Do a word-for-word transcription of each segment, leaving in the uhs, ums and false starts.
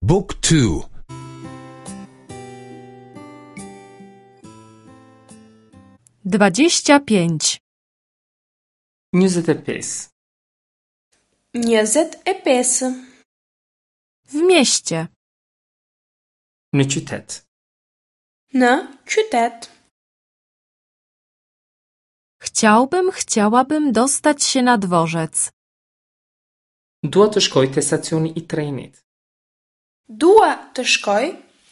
Book two. Dwadzieścia pięć. Njëzet e pesë. Njëzet e pesë. W mieście. Në qytet. Në qytet. Chciałbym, chciałabym dostać się na dworzec. Dua të shkoj te stacioni i trenit. Dua të shkoj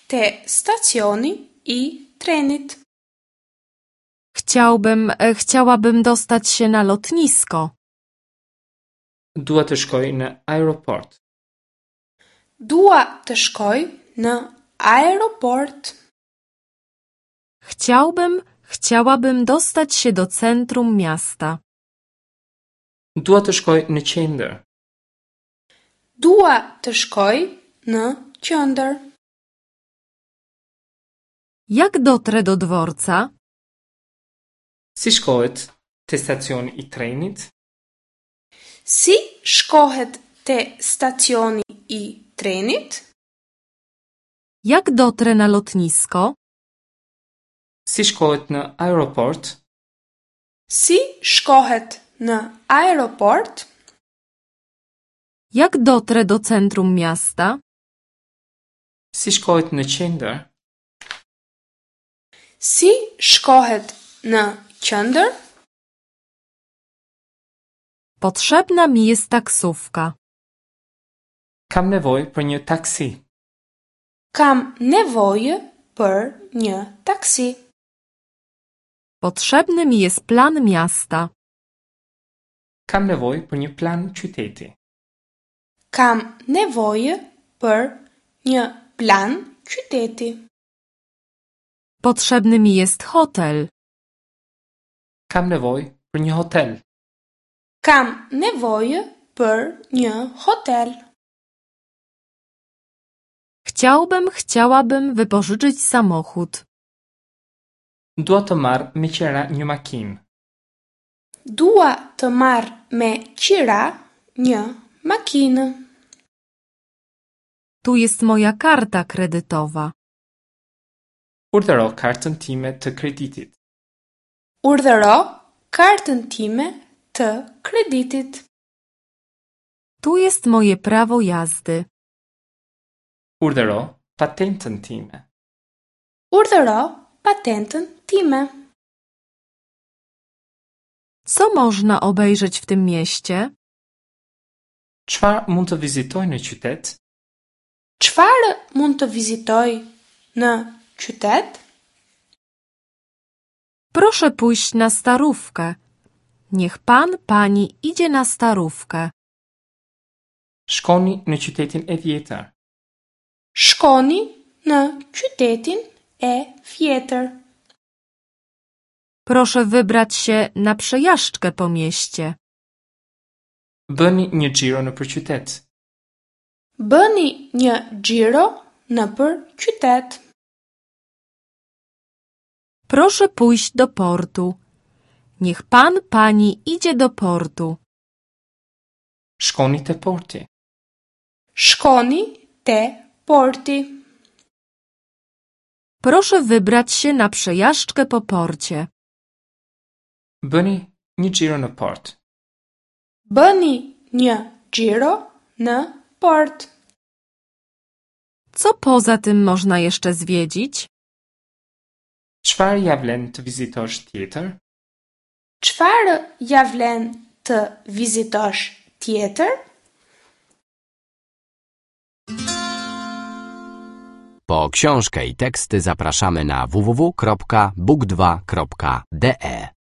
te stacioni i trenit. Chciałbym, e, chciałabym dostać się na lotnisko. Dua të shkoj në aeroport. Dua të shkoj në aeroport. Chciałbym, chciałabym dostać się do centrum miasta. Dua të shkoj në qendër. Dua të shkoj në qendër. Jak dotrę do dworca? Si shkohet te stacioni i trenit? Si shkohet te stacioni i trenit? Jak dotrę na lotnisko? Si shkohet në aeroport? Si shkohet në aeroport? Jak dotrę do centrum miasta? Si shkohet në qendër? Si shkohet në qendër? Potrzebna mi jest taksówka. Kam nevojë për një taksi. Kam nevojë për një taksi. Potrzebny mi jest plan miasta. Kam nevojë për një plan qyteti. Kam nevojë për një plan qyteti. Potrzebny mi jest hotel. Kam nevojë për një hotel. Kam nevojë për një hotel. Chciałbym, chciałabym wypożyczyć samochód. Dua të marr me qira një makinë. Dua të marr me qira një makinë. Tu jest moja karta kredytowa. Urdhëro kartën time të kreditit. Urdhëro kartën time të kreditit. Tu jest moje prawo jazdy. Urdhëro patentën time. Urdhëro patentën time. Co można obejrzeć w tym mieście? Çfarë mund të vizitoj në qytet? Çfarë mund të vizitoj në qytet? Proszę pójść na starówkę. Niech pan, pani idzie na starówkę. Shkoni në qytetin e vjetër. Shkoni në qytetin e vjetër. Proszę wybrać się na przejażdżkę po mieście. Bëni një xhiro nëpër qytet. Bëni një xhiro nëpër qytet. Proszę pójść do portu. Niech pan, pani idzie do portu. Shkoni te porti. Shkoni te porti. Proszę wybrać się na przejażdżkę po porcie. Bëni një xhiro në port. Bëni një xhiro në port. Co poza tym można jeszcze zwiedzić? Çfarë ja vlen të vizitosh tjetër? Çfarë ja vlen të vizitosh tjetër? Po książkę i teksty zapraszamy na w w w kropka book dwa kropka d e.